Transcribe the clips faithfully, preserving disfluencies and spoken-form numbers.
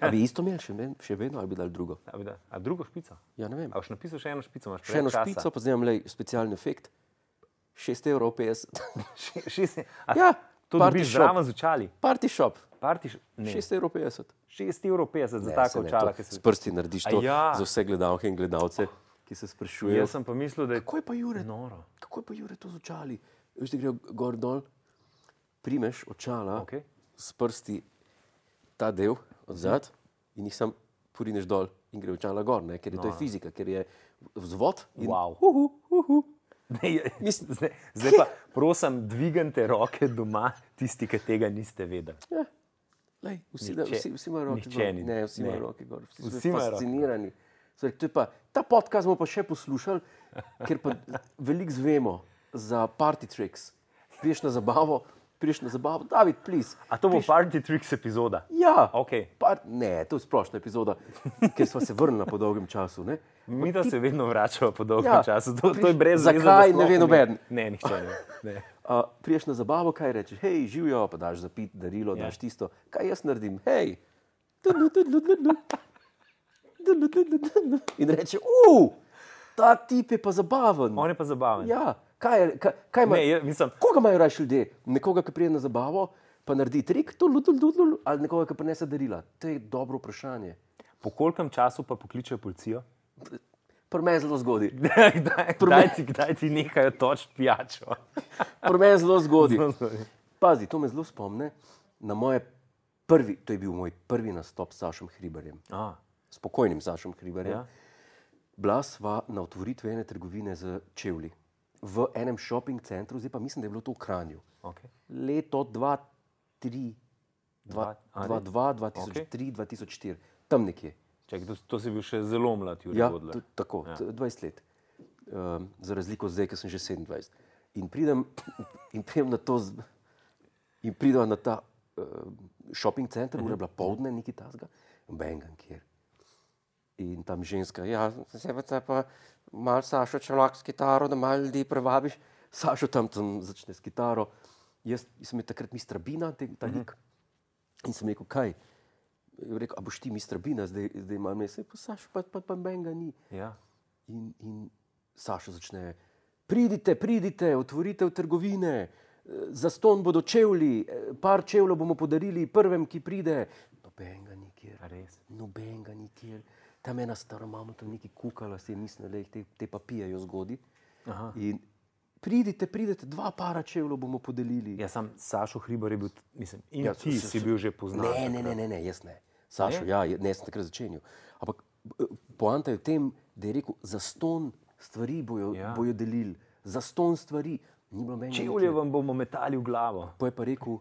A bi isto imeli še, še vedno, ali bi dali drugo? A, bi da, a drugo špico? Ja, ne vem. A boš napisal še eno špico? Imaš Še eno časa? špico, pa zdaj imam lej, specialni efekt. šest evrov petdeset. Še, šest, a, Ja, to party dobiš shop. zraven z očali. Party shop. Party, š- ne, šest evrov petdeset. šest evrov petdeset za Ne, tako saj ne, očala. to ki se- S prsti narediš A to ja. za vse gledalke in gledalce, ki se sprašujejo. Jaz sem pa mislil, da je Kako je pa Jure, noro. kako je pa Jure to z očali? Veš, da grejo gor dol, primeš očala Okej. s prsti ta del od zad in jih sam porineš dol in gre očala gor, ne? Ker je to je fizika, ker je vzvod in Wow. uhu, uhu. Ne, je- Mislim- zdaj, zdaj pa prosim, dvignite roke doma, tisti, ki tega niste vedeli. Ja. Lej, vsi, da, Nihče- vsi, vsi imajo roke nihče gor. ni. Ne, vsi Ne. imajo roke gor. Vsi, Vsi vsi imajo roke fascinirani. Zdaj, to je pa, ta podcast bomo pa še poslušali, ker pa veliko zvemo za party tricks. Priješ na zabavo, priješ na zabavo, David, please. A to bo Party Tricks epizoda? Ja, Okej. par, ne, to je splošna epizoda, ker smo se vrnili po dolgem času. Ne? Mi da se vedno vračamo po dolgem Ja, času. To, to je brez zakaj, veze, da ne sploh ve nobeden. Ne, nihče ne. ne. Uh, priješ na zabavo, kaj rečeš? Hej, živijo, pa daš za pit, darilo, Ja. daš tisto. Kaj jaz naredim? Hej. Tudlu, tudlu, tudlu. Tudlu, tudlu, tudlu. In reče, uf, ta tip je pa zabaven. On je pa zabaven. Ja, kaj, je- kaj, kaj ima, Ne, jaz mislim, koga imajo raje ljudje? Nekoga, ki pride na zabavo, pa naredi trik, tudlu, tudlu, tudlu, ali nekoga, ki prinese darila? To je dobro vprašanje. po kolkem času pa pokličejo policijo? Pri meni zelo zgodi. Kdaj, kdaj, ti, kdaj ti nehajo točiti pijačo? Pri meni zelo zgodi. Zelo zgodi. Pazi, to me zelo spomne na moje prvi, to je bil moj prvi nastop s Sašom Hribarjem. A, Spokojnim Sašom Hribarjem. ja. Bila sva na otvoritvi ene trgovine z čevlji v enem shopping centru, zdaj pa mislim, da je bilo to v Kranju. Okay. Leto dva tri, Dva- a, dva res? dva, dva tisoč tri, dva tisoč štiri, tam nekje. Čak, to, to si bil še zelo mlad, Jurij Ja, Godler. t- tako, Ja. ja. dvajset let. Um, za razliko zdaj, ki sem že sedemindvajset. In pridem, in pridem na to, z- in pridem na ta uh, shopping center, ura je bila povdne, neki tasga, bengan kjer. In tam ženska, ja, se pa malo Sašo čelak s kitaro, da malo ljudi prevabiš. Sašo tam, tam začne s kitaro. Jaz sem je takrat mister Bina, te- ta lik. In sem rekel, kaj? Je rekel, a boš ti mister Bina, zdaj, zdaj imam mesec, pa Sašo pa, pa, pa benga ni. Ja. In, in Sašo začne, pridite, pridite, otvorite trgovine, zastonj bodo čevlji, par čevljev bomo podarili prvem, ki pride. Nobenega nikjer, A res? nobenega nikjer. Tam ena stara mama tam nekaj kukala, si je mislila, da jih te, te pa pijejo zgodi. Aha. In pridite, pridite, dva para čevljev bomo podelili. Ja, sam Sašo Hribar je bil, mislim, in Ja, ja, ti s- s- si bil že poznan. Ne, ne, ne, ne, ne, jaz ne. Sašo, Ne? ja, je- ne, sem takrat začenjal. Ampak eh, poanta je v tem, da je rekel, zastonj stvari bojo, Ja. ja. bojo delili, zastonj stvari. Ni bilo meni. Čevlje vam bomo metali v glavo. Pa je pa rekel,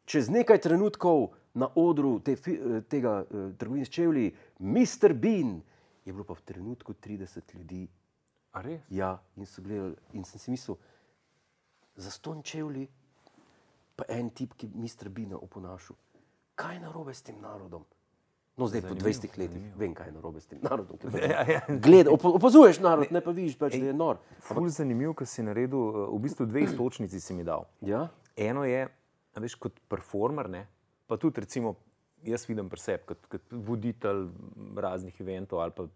čez nekaj trenutkov na odru te, fi- eh, tega uh, trgovine s čevlji, mister Bean, je bilo pa v trenutku trideset ljudi. A res? Ja, in so gledali, in sem si mislil, zastonj čevlji, pa en tip, ki mister Beana oponašal. Kaj je narobe s tem narodom? No, zdaj po Zanimivo, dvajsetih letih zanimivo. vem, kaj je narobe s tem narodom. Ja, ja. Gleda, opo- opazuješ narod, ne pa vidiš, pač, da je nor. Ful zanimiv, ker si naredil, eh, v bistvu dve istočnici si mi dal. Ja? Eno je, a veš, kot performer, ne? Pa tudi recimo, jaz vidim pri sebi, kot, kot voditelj raznih eventov ali pa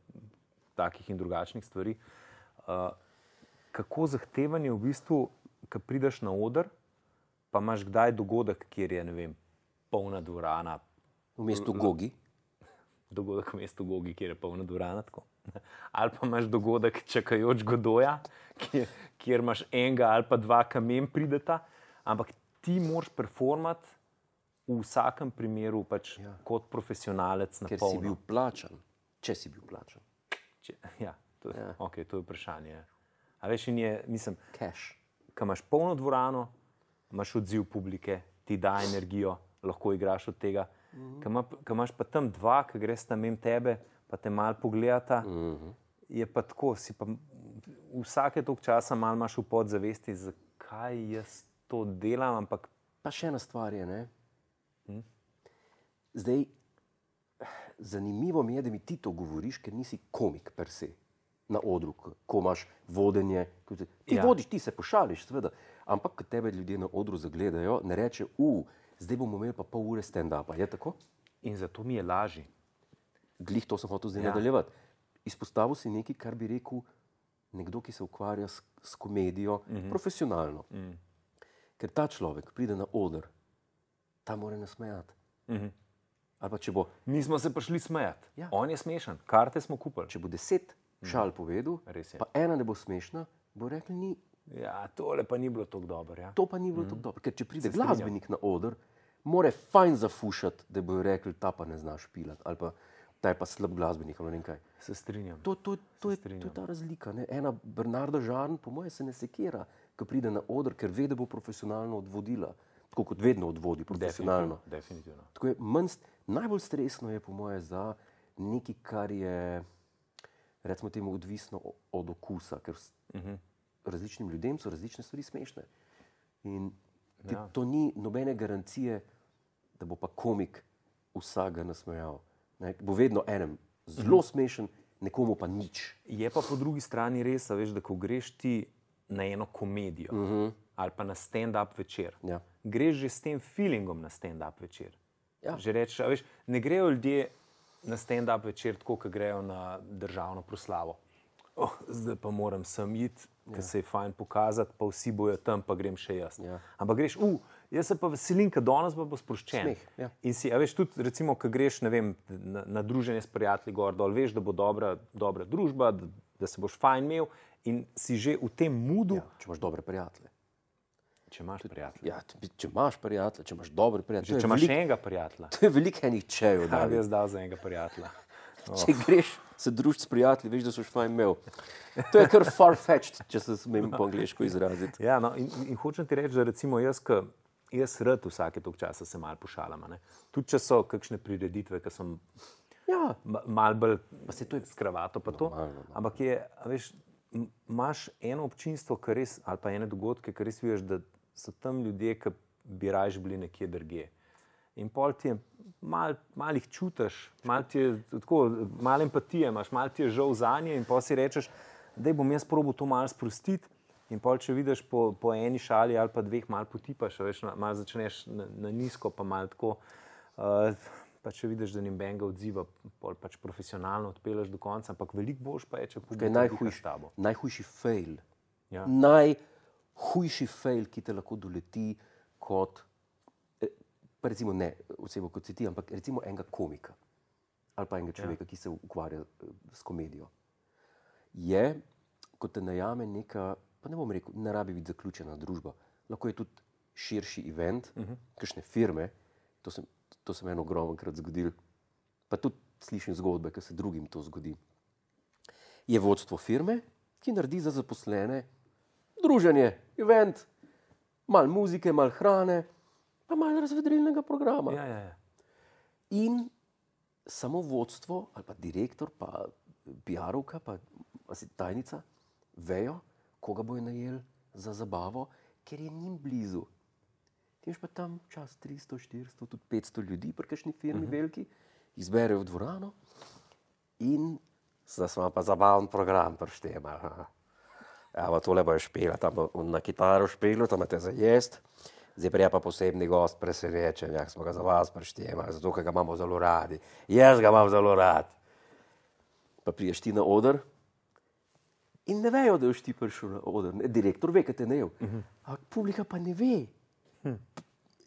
takih in drugačnih stvari. Uh, kako zahteven je v bistvu, ko prideš na oder, pa imaš kdaj dogodek, kjer je, ne vem, polna dvorana, V mestu Gogi. dogodek v mestu Gogi, kjer je polna dvorana, tako. Ali pa imaš dogodek čakajoč Godoja, kjer, kjer imaš enega ali pa dva kamen prideta, ampak ti moraš performati v vsakem primeru pač ja. kot profesionalec na Ker polno. si bil plačan, če si bil plačan. Če, ja, to, je, Ja. okay, to je vprašanje. A veš, in je, mislim, Cash. ko imaš polno dvorano, imaš odziv publike, ti da energijo, lahko igraš od tega. Mm -hmm. Ko imaš pa tam dva, ki greš tam mimo tebe, pa te malo pogledata, mm -hmm. je pa tako, si pa vsake toliko časa malo imaš v podzavesti, zakaj jaz to delam, ampak Pa še ena stvar je, ne? Hm? Zdaj, zanimivo mi je, da mi ti to govoriš, ker nisi komik per se na odru, ko- ko imaš vodenje. ko te- Ti Ja. ja. vodiš, ti se pošališ, seveda. Ampak, ko tebe ljudje na odru zagledajo, ne reče, u, zdaj bomo imeli pa pol ure stand-upa. Je tako? In zato mi je lažje. Glih to sem hotel zdaj Ja. nadaljevati. Izpostavil si nekaj, kar bi rekel nekdo, ki se ukvarja s, s komedijo mm-hmm. profesionalno. Mm. Ker ta človek pride na oder, ta mora nasmejati. Mm-hmm. Ali pa če bo, Mi smo se prišli smejati. Ja. On je smešen, karte smo kupili. če bo deset šal povedal, Res je. pa ena ne bo smešna, bo rekli, ni, Ja, tole pa ni bilo tako dobro. Ja. to pa ni bilo mm. tako dobro. Ker če pride Se strinjam. glasbenik na oder, more fajn zafušati, da bojo rekli, ta pa ne zna špilati, ali pa ta je pa slab glasbenik, ali ne vem kaj. Se strinjam. To, to, to, je, to je ta razlika. Ne? Ena Bernarda Žarn, po mojem, se ne sekira, ko pride na oder, ker ve, da bo profesionalno odvodila. Tako kot vedno odvodi profesionalno. Definitivno. Tako je, manj, najbolj stresno je, po mojem, za nekaj, kar je, recimo temu, odvisno od okusa, ker uh-huh. različnim ljudem so različne stvari smešne. In ti, Ja. to ni nobene garancije, da bo pa komik vsakega nasmejal. Ne? Bo vedno enem zelo uh-huh. smešen, nekomu pa nič. Je pa po drugi strani res, a veš, da ko greš ti na eno komedijo uh-huh. ali pa na stand-up večer, Ja. greš že s tem feelingom na stand-up večer. Ja. Že rečeš, a veš, ne grejo ljudje na stand-up večer tako, kot grejo na državno proslavo. Oh, zdaj pa moram sem iti, ker ja. se je fajn pokazati, pa vsi bojo tam, pa grem še jaz. Ja. Ampak greš, uh, jaz se pa veselim, ker danes bo sproščen. Smeh, ja. In si, a veš, tudi recimo, ko greš, ne vem, na, na druženje s prijatelji gor dol, veš, da bo dobra, dobra družba, da, da se boš fajn imel in si že v tem moodu. Ja, če imaš dobre prijatelje. Če imaš prijatelje. Ja, če imaš prijatelje, če imaš dobre prijatelje. Če imaš enega prijatelja. To je veliko enih čejev. Kaj bi jaz dal za enega prijatelja? Oh. Če greš se družiti s prijatelji, veš, da so fajn imel. To je kar far-fetched, če se smem po angliško izraziti. Ja, no, in, in hočem ti reči, da recimo jaz, ka, jaz rad vsake toliko časa se malo pošalam. Ne? Tudi če so kakšne prireditve, ki sem ja. malo bolj s kravato, pa to. Normalno, no. Ampak je, a veš, imaš eno občinstvo, res, ali pa ene dogodke, ki res vidiš, da so tam ljudje, ki bi raje bili nekje drugje. In pol ti je, malo mal jih čutiš, malo ti je tako, malo empatije imaš, malo ti je žal zanje in pol si rečeš, da bom jaz probal to malo sprostiti in pol, če vidiš po, po eni šali ali pa dveh, malo potipaš, veš, malo začneš na, na nizko, pa malo tako, uh, pa če vidiš, da ni benga odziva, pol pač profesionalno odpeleš do konca, ampak veliko boš pa je, če publika diha s tabo. Najhujši fail, Ja. najhujši fail, ki te lahko doleti kot, pa recimo ne osebo kot si ti, ampak recimo enega komika ali pa enega človeka, ja. ki se ukvarja s komedijo, je, ko te najame neka, pa ne bom rekel, ne rabi biti zaključena družba, lahko je tudi širši event, uh-huh. kakšne firme, to sem, to sem eno ogromnkrat zgodil, pa tudi slišim zgodbe, ki se drugim to zgodi. Je vodstvo firme, ki naredi za zaposlene druženje, event, malo muzike, malo hrane, pa malo razvedrilnega programa. Ja, ja, ja. In samo vodstvo, ali pa direktor, pa P R-ovka, pa tajnica, vejo, koga bojo najeli za zabavo, ker je njim blizu. Ti imaš pa tam čas tristo, štiristo, tudi petsto ljudi, pri kakšni firmi uh-huh. veliki, izberejo v dvorano in zdaj smo pa zabaven program prištema. Ja, pa tole bojo špela, tam bo na kitaro špelo, tam imate za jest. Zdaj prija pa posebni gost presenečen, jak smo ga za vas prištemali, zato, ker ga imamo zelo radi. Jaz ga imam zelo rad. Pa priješ ti na oder in ne vejo, da boš ti prišel na oder. Direktor ve, kaj te ne je. Uh-huh. Ampak publika pa ne ve. Hm.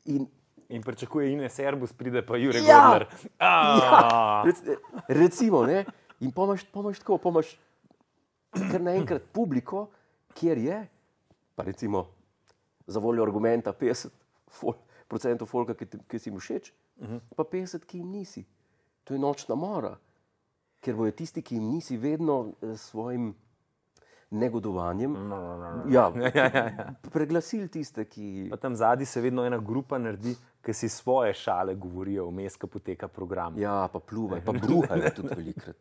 In, in pričakuje Ines Erbus, pride pa Jure ja, Godler. Ja, rec, recimo, ne? In pomaš, pomaš tako, pomaš kar naenkrat publiko, kjer je, pa recimo, za voljo argumenta petdeset procentov folka, ki, ki si mu všeč, uh-huh. pa petdeset, ki jim nisi. To je nočna mora. Ker bojo tisti, ki jim nisi, vedno s svojim negodovanjem no, no, no, no. Ja, ja, ja, ja. preglasili tiste, ki... Pa tam zadnji se vedno ena grupa naredi, ki si svoje šale govorijo vmes, ko poteka program. Ja, pa pluvaj, pa bruhajo tudi velikrat.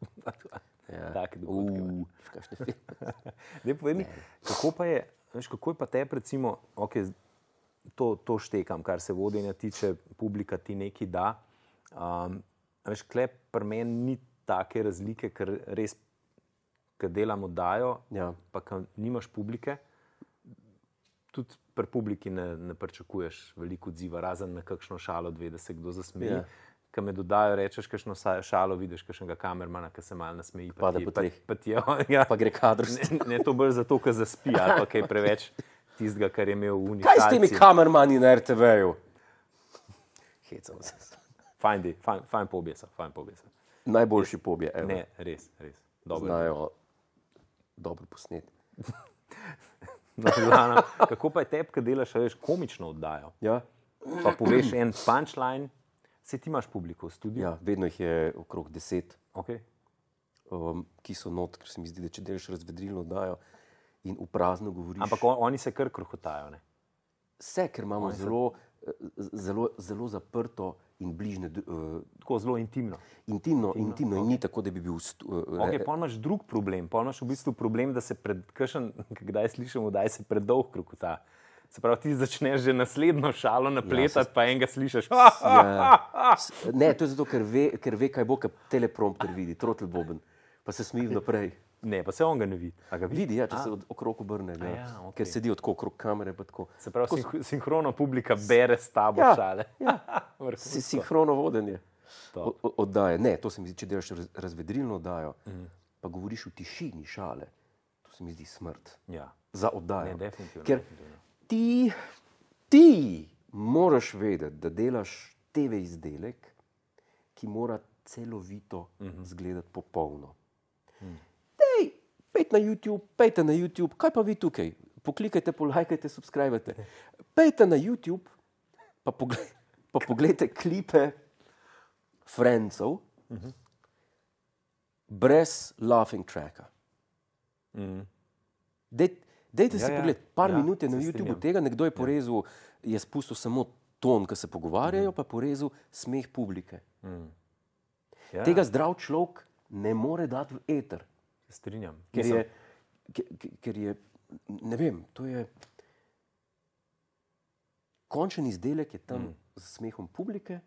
Ja. Take dogodke. Uh, kakšne filme. Dej, povej mi, kako pa je, veš, kako je pa tebi, recimo, okay, to, to štekam, kar se vodenja tiče, publika ti nekaj da. Um, veš, kle pri meni ni take razlike, ker res, ker delam oddajo, ja. pa ker nimaš publike, tudi pri publiki ne, ne pričakuješ veliko odziva, razen na kakšno šalo dve, da se kdo zasmeji. Ja. ki me dodajo, rečeš kakšno šalo, vidiš kakšnega kamermana, ki se malo nasmeji. Pa, Pada ti, po pa, tleh. pa, ti, ja, Pa gre kadr. ne, ne to bolj zato, ker zaspi ali pa kaj preveč tistega, kar je imel v unikalci. Kaj s temi kamermani na er te veju? Hecam se. Fajn, di, fajn, fajn pobjesa, fajn pobjesa. Najboljši pobje, evo. Ne, res, res. Dobro. Znajo dobro posneti. No, Lana, kako pa je tebi, ki delaš, veš, komično oddajo? Ja? Pa poveš en punchline, se ti imaš publiko v studiu? Ja, vedno jih je okrog deset, Okay. um, ki so not, ker se mi zdi, da če delaš razvedrilno oddajo in v prazno govoriš. Ampak on, oni se kar krohotajo, ne? Vse, ker imamo Oni se- zelo, eh, zelo, zelo zaprto in bližne, uh, Tako zelo intimno. intimno, intimno in ni tako, da bi bil... Stu, uh, Okay, pol imaš drug problem, pol imaš v bistvu problem, da se pred, kakšen, kdaj slišimo, da se predolg krokota. Se pravi, ti začneš že naslednjo šalo napletati, Ja, se- pa enega slišiš. Ja. S- Ne, to je zato, ker ve, ker ve kaj bo, ker teleprompter vidi, trotel boben, pa se smeji naprej. Ne, pa se on ga ne vidi. A ga vidi? Vidi, ja, če se od, okrog obrne, ja. ja, okej. Ker sedi tako okrog kamere. Pa tako. Se pravi, sinh- sinhrono publika bere s tabo Ja, šale. ja. Vrhunsko. Si sinhrono vodenje Top. o- o- oddaje. Ne, to se mi zdi, če delaš raz, razvedrilno oddajo, mm. pa govoriš v tišini šale, to se mi zdi smrt Ja, za oddajo. ne, definitivno. Ker definitivno. ti, ti moraš vedeti, da delaš te ve izdelek, ki mora celovito mm -hmm. zgledati popolno. Mm. Dej, pejte na YouTube, pejte na YouTube, kaj pa vi tukaj? Poklikajte, polajkajte, subskrbajte. Pejte na YouTube, pa, pogled, pa pogledajte klipe Friendsov mm -hmm. brez laughing tracka. Mm. Dej, dejte Ja, si ja. pogled, par Ja, minut je na se YouTubeu strinjam. tega, nekdo je porezal, je spustil samo ton, ki se pogovarjajo, pa je porezal smeh publike. Ja, Tega zdrav človek ne more dati v eter, se strinjam. ker Mislim, je, ker, ker je, ne vem, to je končen izdelek je tam mm. z smehom publike,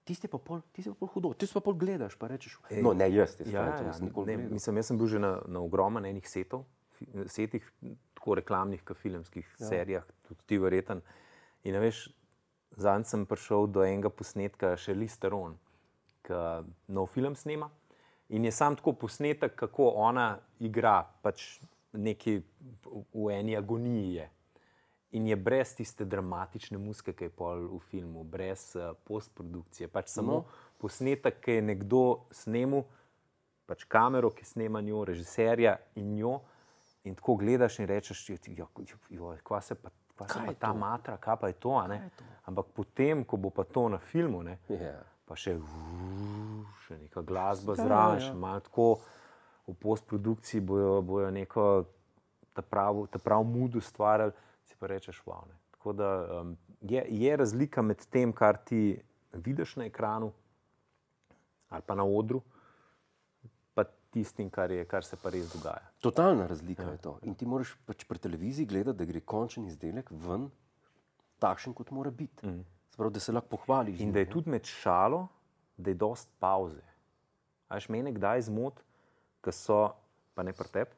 tisti pa pol, tisti pa pol hudo, tisti pa pol gledaš, pa rečeš, Ej, no ne jaz, te Ja, stvari, ja, nisem nikoli ne, gledal. mislim, jaz sem bil že na, na ogromno enih setov, fi- setih, tako reklamnih, kot filmskih ja. serijah, tudi ti verjeten. In a veš, zadnjič sem prišel do enega posnetka Charlize Theron, ki nov film snema. In je sam tako posnetek, kako ona igra pač neki v, v eni agoniji je. In je brez tiste dramatične muzike, ki je pol v filmu, brez uh, postprodukcije. Pač samo No. posnetek, ki je nekdo snemal, pač kamero, ki snema njo, režiserja in njo. In tako gledaš in rečeš, jo, jo, kva se pa, kva se Kaj pa je ta to? matra, kaj pa je to, a ne? Ampak potem, ko bo pa to na filmu, ne, Ja. pa še, uh, še neka glasba Ja, zraven, ja. še malo tako v postprodukciji bojo, bojo neko ta prav, ta prav mood ustvarjali, si pa rečeš, wow. Ne. Tako da um, je, je razlika med tem, kar ti vidiš na ekranu ali pa na odru, pa tistim, kar, je, kar se pa res dogaja. Totalna razlika ja. je to. In ti moraš pač pri televiziji gledati, da gre končen izdelek ven takšen, kot mora biti. Mm. Sprav, da se lahko pohvališ. z In njim, da je ne. tudi med šalo, da je dost pauze. A veš, mene kdaj zmot, ki so, pa ne pri tebi,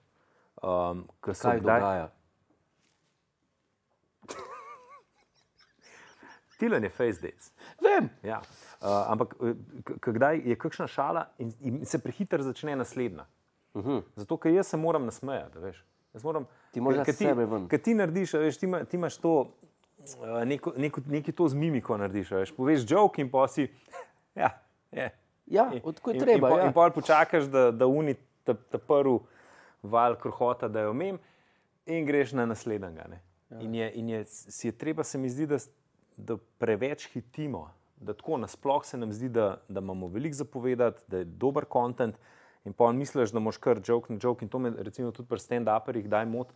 um, ki so Kaj kdaj... dogaja? Tilen je face dates. Vem. Ja. Uh, ampak eh, k- k- kdaj je kakšna šala in, in se prehiter začne naslednja. Uh -huh. Zato, ker jaz se moram nasmejati, veš. Jaz moram, Ti moraš ker- dati ker sebe ven. Ker ti narediš, a veš, ti, ima, ti imaš to, uh, neko, neko, nekaj to z mimiko narediš, a veš. Poveš joke in pa si, ja, je. Ja, In- tako je in- treba, In, ja. in pol počakaš, da, da uni ta, ta prvi val krohota, da jo mem in greš na naslednjega. Ne. Ja. In, je, in je, si je treba, se mi zdi, da, s- da preveč hitimo, da tako nasploh se nam zdi, da, da imamo veliko zapovedati, da je dober kontent in pa misliš, da moš kar joke na joke in to me recimo tudi pri stand-uperjih daj mot,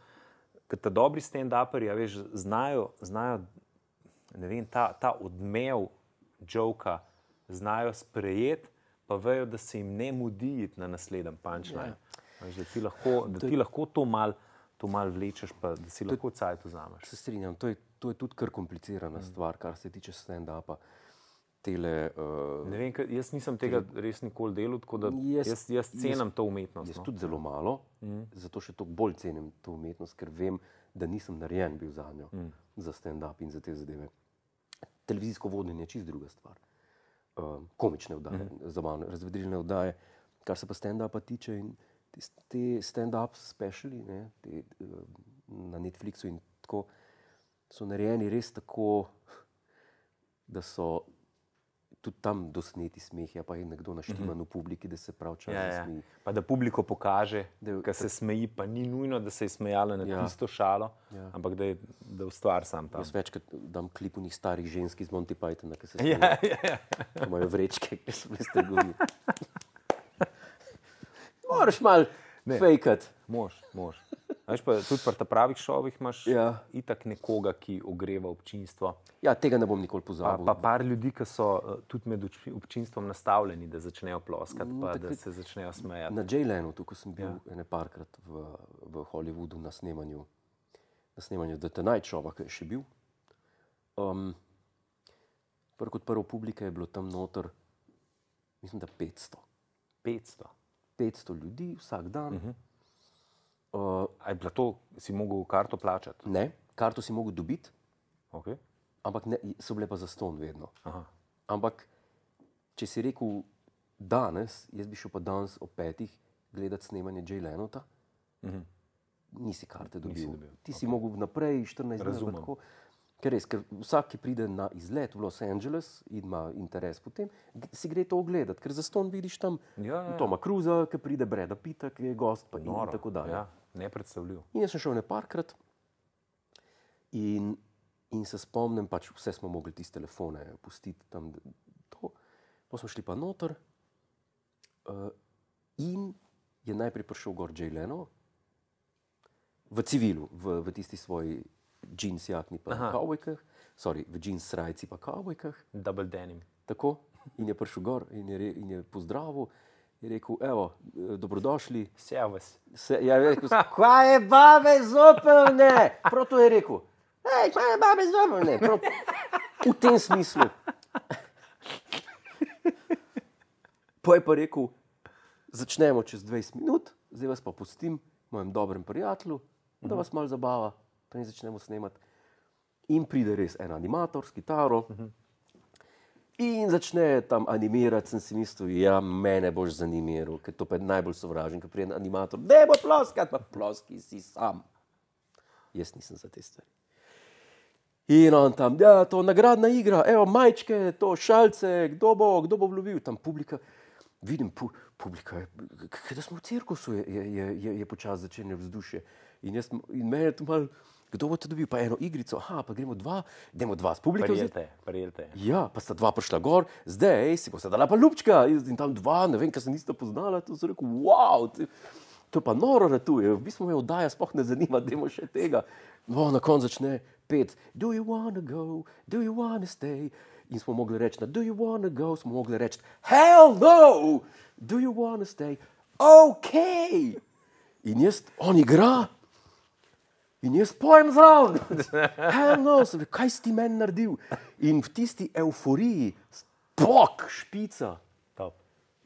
ker ta dobri stand-uperi, a veš, znajo, znajo ne vem, ta, ta odmev joka znajo sprejeti, pa vejo, da se jim ne mudi iti na naslednji punchline. Ja. Da ti lahko, da ti lahko to mal, to mal vlečeš, pa da si lahko cajt vzameš. Se strinjam, to je, to je tudi kar komplicirana mm. stvar, kar se tiče stand-upa. Tele, uh, Ne vem, kaj- jaz nisem tega res nikoli delal, tako da Jaz- jaz, jaz cenim to umetnost. jaz No. tudi zelo malo, mm. zato še toliko bolj cenim to umetnost, ker vem, da nisem narejen bil za njo, mm. za stand-up in za te zadeve. Televizijsko vodenje je čist druga stvar. um, komične oddaje, mm-hmm. zabavne, razvedrilne oddaje, kar se pa stand-upa tiče. In te, te stand-up speciali, ne, te, na Netflixu in tako, so narejeni res tako, da so tudi tam dosneti smehi, pa je nekdo naštiman mm-hmm. v publiki, da se prav čas ja, smeji. Ja. Pa da publiko pokaže, da se smeji, pa ni nujno, da se je smejala na ja. tisto šalo, ja. ampak da je da ustvar sam tam. Jaz večkrat dam klip unih starih žensk iz Monty Pythona, ki se smejijo. Ja, ja, ja. Imajo vrečke, ki so bile strgovine. Moraš malo fejkat. Mož, mož. Veš pa, tudi pri ta pravih šovih imaš ja. itak nekoga, ki ogreva občinstvo. Ja, tega ne bom nikoli pozabil. Pa, pa par ljudi, ki so uh, tudi med občinstvom nastavljeni, da začnejo ploskati, pa mm, da se začnejo smejati. Na Jay Lenu, tukaj sem bil ja. ene parkrat v, v Hollywoodu na snemanju, na snemanju The Tonight Showa, ki je še bil. Um, prv kot prvo publike je bilo tam noter, mislim, da petsto. petsto? petsto ljudi vsak dan. Uh-huh. Uh, A je bilo to, si mogel karto plačati? Ne, karto si mogel dobiti, okay. ampak ne, so bile pa zastonj vedno. Aha. Ampak, če si rekel danes, jaz bi šel pa danes ob petih gledati snemanje Jay Lenota, uh-huh. nisi karte dobil. Nisi dobil. Ti okay. si mogel naprej štirinajst dni. Razumem. Ker res, ker vsak, ki pride na izlet v Los Angeles in ima interes potem, si gre to ogledati, ker zastonj vidiš tam ja, ja. Toma Cruisa, ki pride, Brada Pitta, ki je gost, pa Noro, in tako dalje. Ja, nepredstavljiv. In jaz sem šel ne parkrat in, in se spomnim, pač vse smo mogli tiste telefone pustiti tam. To. Pa smo šli pa noter uh, in je najprej prišel gor Jay Leno v civilu, v, v tisti svoji džins jakni pa kavbojkah, sorry, v džins srajci pa kavbojkah. Double denim. Tako, in je prišel gor in je, re, in je pozdravil, je rekel, evo, dobrodošli. Servus. Se, ja, je rekel, kaj je babe zopel, ne? Prav to je rekel, ej, kaj je babe zopel, ne? Prav, v tem smislu. Pa je pa rekel, začnemo čez dvajset minut, zdaj vas pa pustim mojem dobrem prijatelju, da vas malo zabava. In začnemo snemati. In pride res en animator s kitaro uh-huh. in začne tam animirati. Sem si mislil, ja, mene boš zanimiral, ker to pa je najbolj sovražen, ker pride animator, daj bo ploskati, pa ploski si sam. Jaz nisem za te stvari. In on tam, ja, to nagradna igra, evo, majčke, to šalce, kdo bo, kdo bo vlobil, tam publika. Vidim, pu, publika je, kada smo v cirkusu, je, je, je, je počas začenje vzdušje. In, jaz, in mene je to malo, kdo bo te dobil, pa eno igrico, aha, pa gremo dva, idemo dva s publiko. Prijelte, prijelte. Ja, pa sta dva prišla gor, zdaj, ej, si boste dala pa ljubčka, in tam dva, ne vem, kaj se nista poznala, to so rekel, wow, to, to je pa noro ratuje, v bistvu me oddaja sploh ne zanima, dajmo še tega. No, na koncu začne pet, do you wanna go, do you wanna stay, in smo mogli reči, na do you wanna go, smo mogli reči, hell no, do you wanna stay, ok. In jaz, on igra, in jaz pojem zraven. Hell no, sem rekel, kaj si ti meni naredil? In v tisti euforiji, pok, špica, Top.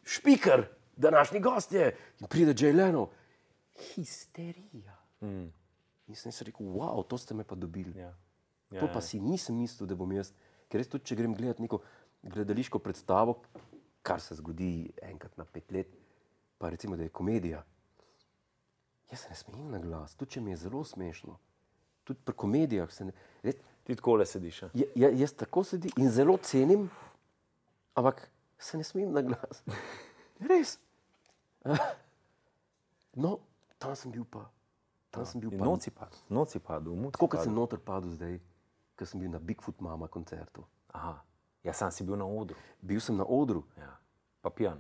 Špiker, današnji gost je, in pride Jay Leno, histerija. Mm. In sem si rekel, wow, to ste me pa dobili. Ja. Ja, to pa si nisem mislil, da bom jaz, ker res tudi, če grem gledati neko gledališko predstavo, kar se zgodi enkrat na pet let, pa recimo, da je komedija, jaz se ne smejim na glas, tudi če mi je zelo smešno. Tudi pri komedijah se ne... Res, ti takole sediš. Ja, ja, jaz tako sedim in zelo cenim, ampak se ne smejim na glas. Res. No, tam sem bil pa. Tam sem bil pa. Noci padel. Noci padel. Tako, kot sem noter padel zdaj, ker sem bil na Bigfoot Mama koncertu. Aha. Ja, sam si bil na odru. Bil sem na odru. Ja. Pa pijan.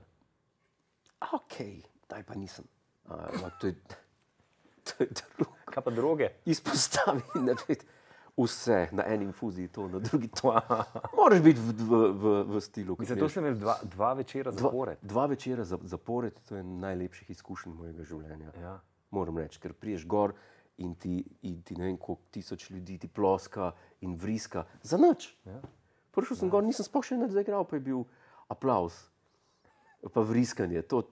Okej, daj pa nisem. Ampak to je... To je drugo. Kaj pa droge? Izpostavi, ne ved, vse na eni infuziji, to na drugi to. Moraš biti v, v, v, v stilu. Zato sem imel dva, dva večera zapored. Dva, dva večera zapored, to je najlepših izkušenj mojega življenja. Ja. Moram reči, ker priješ gor in ti, in ti ne vem, koliko tisoč ljudi ti ploska in vriska. Za nič. Ja. Prišel sem ja. gor, nisem sploh še nič zaigral, pa je bil aplauz. Pa vriskanje. To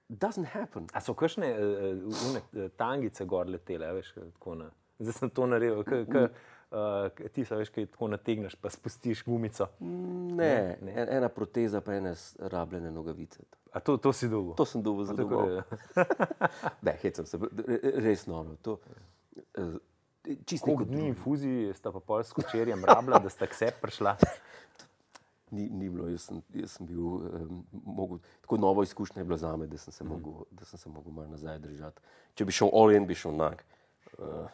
doesn't happen. A so kakšne uh, uh, tangice gor letele, veš, tako na Zdaj sem to naredil. K, k, uh, ti se veš, kaj tako nategneš, pa spustiš gumico. Ne, ne. En, ena proteza, pa ene rabljene nogavice. A to, to si dolgo? To sem dolgo za domov. Ne, hecam se, res noro. To, uh, Koliko dni infuziji sta pa pol s kočerjem rabila, da sta k sebi prišla? Ni, ni bilo, jaz sem, jaz sem bil, um, mogel, tako novo izkušnja je bila zame, da sem se mm. mogel, da sem se mogel malo nazaj držati. Če bi šel all in, bi šel nag. Uh.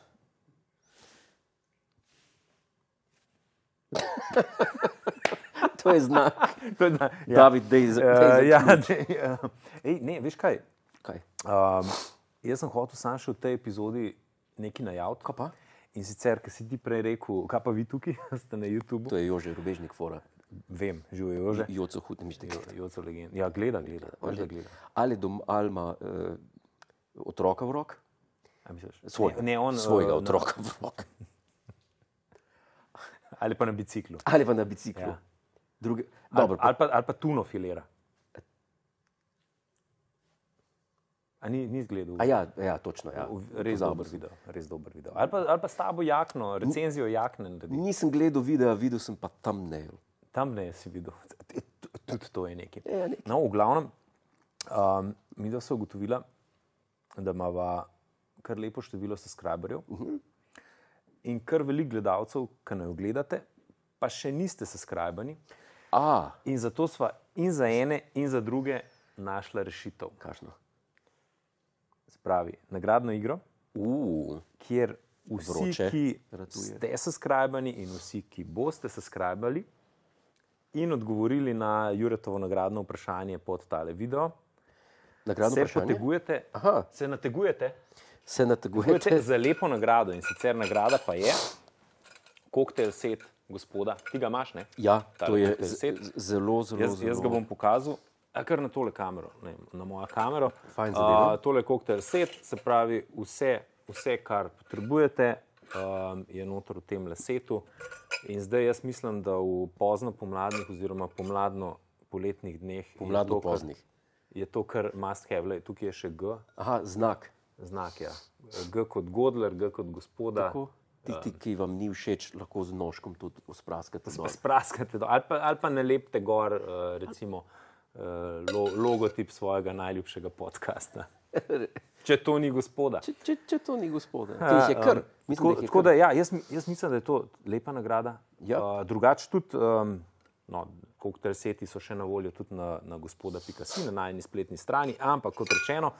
To je znak. To je znak. Ja. David, dej za, dej za uh, ja, dej, uh. Ej, ne, veš kaj? Kaj? Um, jaz sem hotel sam še v tej epizodi nekaj najaviti. Kaj pa? In sicer, ker si ti prej rekel, kaj pa vi tukaj, ste na YouTubu? To je Jože Rubežnik fora. Vem, živijo Jože. Joco hud, ne mišljate. Joco legend. Ja, gleda, gleda. Ali, gleda. ali, dom, ali ima uh, otroka v rok? A misliš? Svojega, ne, ne, on, svojega uh, otroka na... v rok. Ali pa na biciklu. Ali pa na biciklu. Ja. Druge... Ali, Dobro, pa... ali, pa, ali pa tuno filera. A ni, ni zgledal? A ja, ja, točno. Ja. Res dober video. Res dober video. Ali pa, ali pa s tabo jakno, recenzijo jakne. Nisem gledal videa, videl sem pa thumbnail. Thumbnail si videl. Tudi to je nekaj. Ja, nekaj. No, v glavnem, um, mi da so ugotovila, da imava kar lepo število subscriberjev uh -huh. in kar veliko gledalcev, ki ne jo gledate, pa še niste subscribani. A. In zato sva in za ene in za druge našla rešitev. Kakšno? Spravi, nagradno igro, uh, kjer vsi, vroče, ki ratuje. ste subscribani in vsi, ki boste subscribali in odgovorili na Juretovo nagradno vprašanje pod tale video, nagradno se vprašanje? potegujete, Aha. se nategujete, se nategujete za lepo nagrado. In sicer nagrada pa je koktajl set gospoda. Ti ga imaš, ne? Ja, Tale to je koktajl set. zelo, zelo, Jaz, zelo... jaz ga bom pokazal. A kar na tole kamero, ne, na mojo kamero. Fajn zadeva. Uh, tole je koktajl set, se pravi vse, vse kar potrebujete, um, je noter v tem setu. In zdaj jaz mislim, da v pozno pomladnih oziroma pomladno poletnih dneh pomladno je, to, poznih. Kar, je to kar must have. Lej, tukaj je še G. Aha, znak. Znak, ja. G kot Godler, G kot gospoda. Tako. Tisti, ki vam ni všeč, lahko z nožkom tudi spraskate dol. Spraskate dol. Ali pa, ali pa ne lepte gor, uh, recimo, uh, logotip svojega najljubšega podcasta. Če to ni gospoda. Če, če, če to ni gospoda. Uh, je kar. Mislim, tako, da je tako kar. da, ja, jaz, jaz mislim, da je to lepa nagrada. Ja. Uh, drugače tudi, um, no, koktajl seti so še na voljo tudi na, na gospoda pika si, na najni spletni strani, ampak kot rečeno,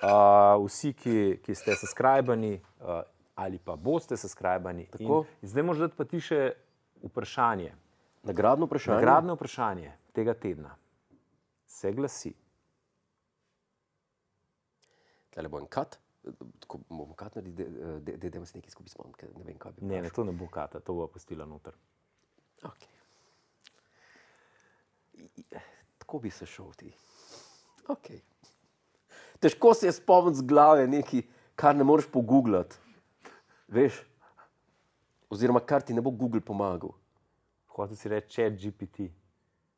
uh, vsi, ki, ki ste subscribani uh, ali pa boste subscribani. In zdaj možda pa ti še vprašanje. Nagradno vprašanje? Nagradno vprašanje tega tedna se glasi. Tale bo en kat, tako bomo kat narediti, da idemo se nekaj skupaj spomniti, ne vem, kaj bi Ne, ne, to ne bo kata, to bo pustila noter. Ok. Tako bi se šel ti. Ok. Težko se je spomniti z glave nekaj, kar ne moreš pogooglati. Veš? Oziroma, kar ti ne bo Google pomagal. Hotel si reči chat G P T.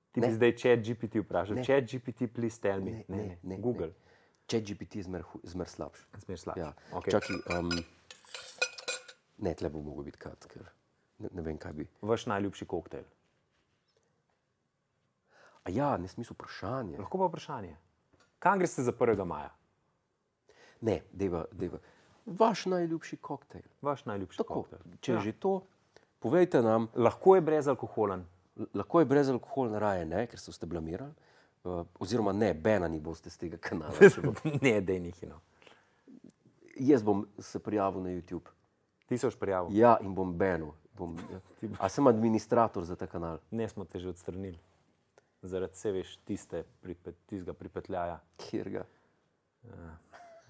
Ti Ne. bi zdaj chat G P T vprašal. Ne. Chat G P T, please tell me. Ne, Ne, ne, ne, ne, Google. Chat G P T je zmer, hu- zmer slabš. Zmer slabš. Ja. Okay. Čakaj, um, ne, tle bo mogel biti kat, ker ne, ne vem, kaj bi. Vaš najljubši koktajl. A ja, ne smisel vprašanje. Lahko pa vprašanje. Kam greste za prvega maja? Ne, deva, deva. Vaš najljubši koktejl. Vaš najljubši Tako, koktajl. če je Ja. že to, povejte nam, Lahko je brezalkoholen. L- lahko je brezalkoholna raje, ne, ker se boste blamirali, uh, oziroma ne, benani boste z tega kanala. Ne, dej nihino. Jaz bom se prijavil na YouTube. Ti se boš prijavil. Ja, in bom benil. Bom, a sem administrator za ta kanal? Ne, smo te že odstranili. Zaradi se veš, tiste, pripet, tistega pripetljaja. Kjer ga?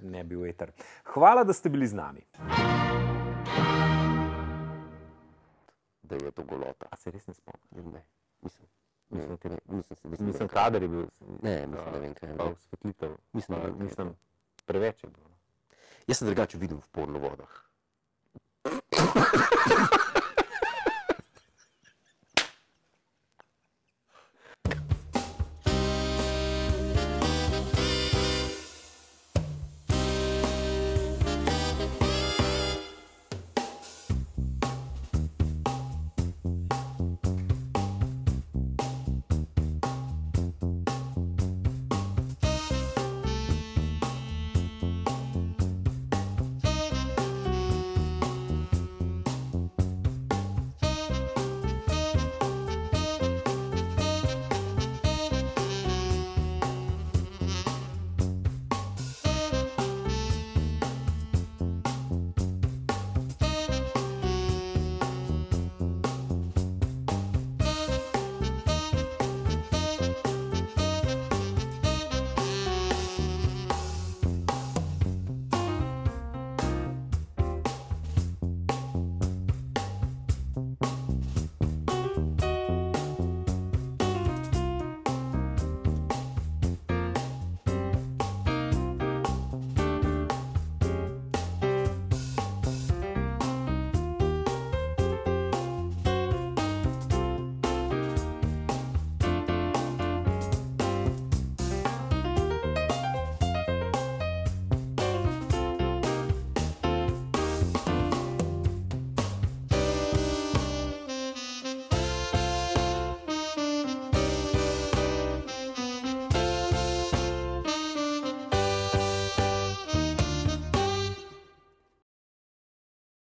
Ne bi veter. Hvala, da ste bili z nami. Da je to golota. A se res ne spomnim? Ne, mislim. Mislim, ne, mislim, mislim, Mislim, kader je bil. Ne, mislim, ne vem, kaj je. Pa osvetlitev. Mislim, Pa, ne vem, kaj je. mislim, preveč je bilo. Jaz sem drugače videl v porno vodah.